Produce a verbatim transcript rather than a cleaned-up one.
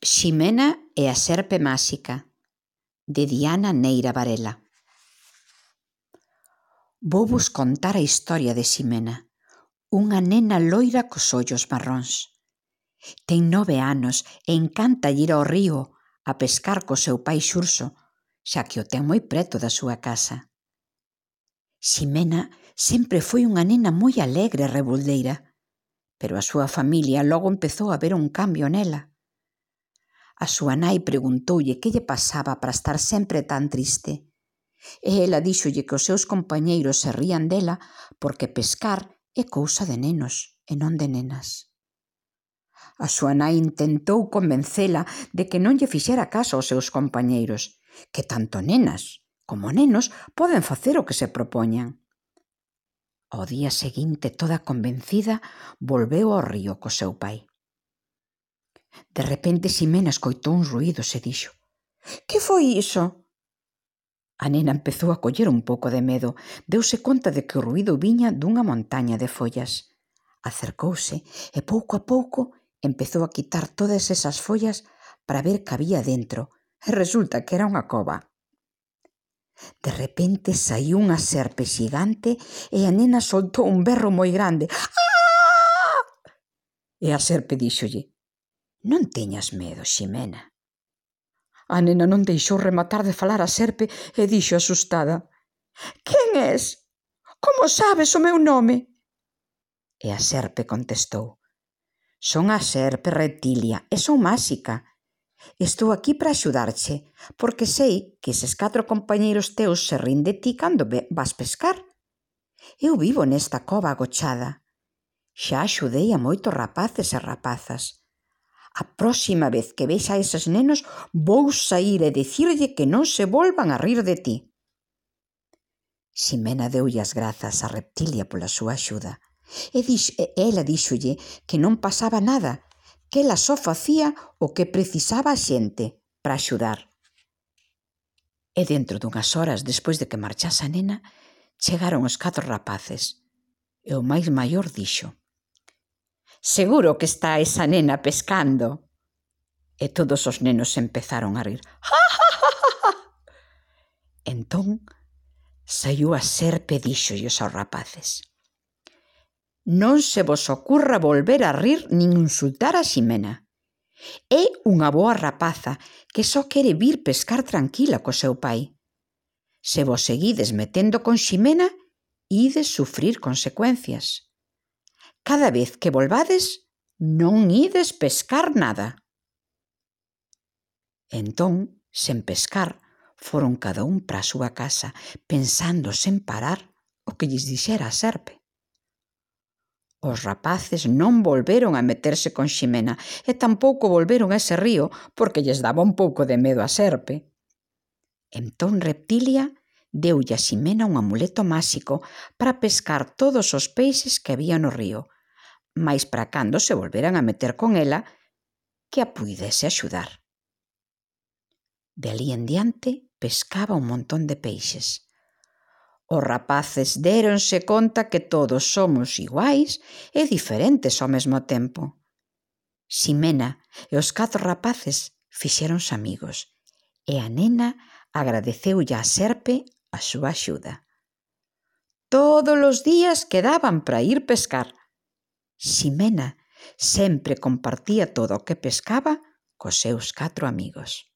Ximena e a serpe máxica, de Diana Neira Varela. Vouvos contar a historia de Ximena, unha nena loira cos ollos marróns. Ten nove anos e encanta ir ao río a pescar co seu pai Xurxo, xa que o ten moi preto da súa casa. Ximena sempre foi unha nena moi alegre e reboldeira, pero a súa familia logo empezou a ver un cambio nela. A súa nai preguntoulle que lle pasaba para estar sempre tan triste, e ela díxolle que os seus compañeiros se rían dela porque pescar é cousa de nenos e non de nenas. A súa nai intentou convencela de que non lle fixera caso aos seus compañeiros, que tanto nenas como nenos poden facer o que se propoñan. Ao día seguinte, toda convencida, volveu ao río co seu pai. De repente, Ximena escoitou uns ruídos e dixo: «Que foi iso?» A nena empezou a coller un pouco de medo. Deuse conta de que o ruído viña dunha montaña de follas. Acercouse e, pouco a pouco, empezou a quitar todas esas follas para ver que había dentro, e resulta que era unha cova. De repente saíu unha serpe xigante e a nena soltou un berro moi grande. «Ah!» E a serpe díxolle: «Non teñas medo, Ximena». A nena non deixou rematar de falar a serpe e dixo asustada: «Quen és? Como sabes o meu nome?» E a serpe contestou: «Son a serpe Reptilia e son máxica. Estou aquí para axudarche, porque sei que eses catro compañeiros teus se rin de ti cando vas pescar. Eu vivo nesta cova agochada. Xa axudei a moitos rapaces e rapazas. A próxima vez que vexa a eses nenos vou saír e dicirlle que non se volvan a rir de ti». Ximena deulle as grazas a Reptilia pola súa axuda, e, dix, e ela díxolle que non pasaba nada, que ela só facía o que precisaba a xente para axudar. E dentro dunhas horas despois de que marchase a nena, chegaron os catro rapaces, e o máis maior dixo: «Seguro que está esa nena pescando». E todos os nenos empezaron a rir. «Ja, ja, ja, ja, ja!» Entón saiu a serpe e díxolles aos rapaces: «Non se vos ocurra volver a rir nin insultar a Ximena. É unha boa rapaza que só quere vir pescar tranquila co seu pai. Se vos seguides metendo con Ximena, ides sufrir consecuencias. Cada vez que volvades, non ides pescar nada». Entón, sen pescar, foron cada un para a súa casa, pensando sen parar o que lles dixera a serpe. Os rapaces non volveron a meterse con Ximena e tampouco volveron a ese río porque lles daba un pouco de medo a serpe. Entón Reptilia deulle a Ximena un amuleto máxico para pescar todos os peixes que había no río, mais para cando se volveran a meter con ela, que a puidese axudar. De alí en diante pescaba un montón de peixes. Os rapaces déronse conta que todos somos iguais e diferentes ao mesmo tempo. Ximena e os catro rapaces fixéronse amigos e a nena agradeceulle á serpe a súa axuda. Todos os días quedaban para ir pescar. Ximena sempre compartía todo o que pescaba cos seus catro amigos.